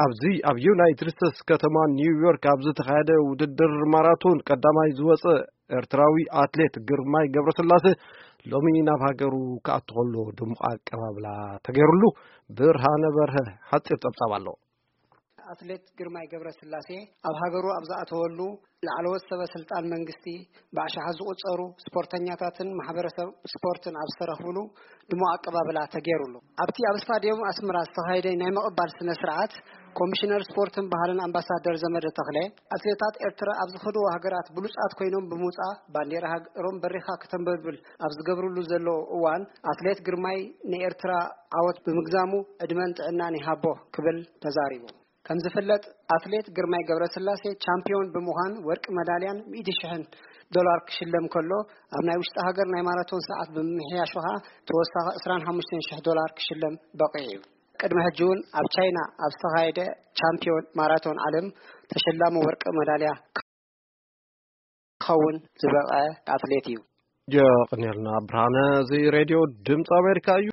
ኣብዚ ኣብ ዩናይትድ ስቴትስ ከተማ ኒውዮርክ ኣብ ዝተኻየደ ውድድር ማራቶን ቀዳማይ ዝወፀ ኤርትራዊ ኣትሌት ግርማይ ገብረስላሴ ሎሚ ናብ ሃገሩ ክኣቱ ከሎ ድሙቕ ኣቀባብላ ተገይሩሉ። ብርሃነ በርሀ ሓፂር ፀብፃብ ኣሎ። ኣትሌት ግርማይ ገብረስላሴ ኣብ ሃገሩ ኣብ ዝኣተወሉ፣ ላዕለዎት ሰበ ስልጣን መንግስቲ፣ ብኣሽሓት ዝቑጸሩ ስፖርተኛታትን ማሕበረሰብ ስፖርትን ኣብ ዝተረኽብሉ ድሙቕ ኣቀባብላ ተገይሩሉ። ኣብቲ ኣብ ስታድዮም ኣስመራ ዝተኻየደ ናይ ምቕባል ስነ ስርዓት፣ ኮሚሽነር ስፖርትን ባህልን ኣምባሳደር ዘመደ ተኽለ፣ ኣትሌታት ኤርትራ ኣብ ዝኸድዎ ሃገራት ብሉጻት ኮይኖም ብምውጻእ፣ ባንዴራ ሃገሮም በሪኻ ከተንበልብል ኣብ ዝገብርሉ ዘለዉ እዋን፣ ኣትሌት ግርማይ ንኤርትራ ዓወት ብምግዛሙ ዕድመን ጥዕናን ይሃቦ ክብል ተዛሪቡ። ከም ዝፍለጥ፣ ኣትሌት ግርማይ ገብረስላሴ ቻምፒዮን ብምዃን ወርቂ መዳልያን ሚእቲ ሽሕን ዶላር ክሽለም ከሎ፣ ኣብ ናይ ውሽጢ ሃገር ናይ ማራቶን ሰዓት ብምምሕያሹ ኸኣ ተወሳኺ ዕስራን ሓሙሽተን ሽሕ ዶላር ክሽለም በቒዑ እዩ። ቅድሚ ሕጂ እውን ኣብ ቻይና ኣብ ዝተኻየደ ቻምፒዮን ማራቶን ዓለም ተሸላሚ ወርቂ መዳልያ ክኸውን ዝበቕዐ ኣትሌት እዩ። የቕንየልና ብርሃነ። እዚ ሬድዮ ድምፂ ኣሜሪካ እዩ።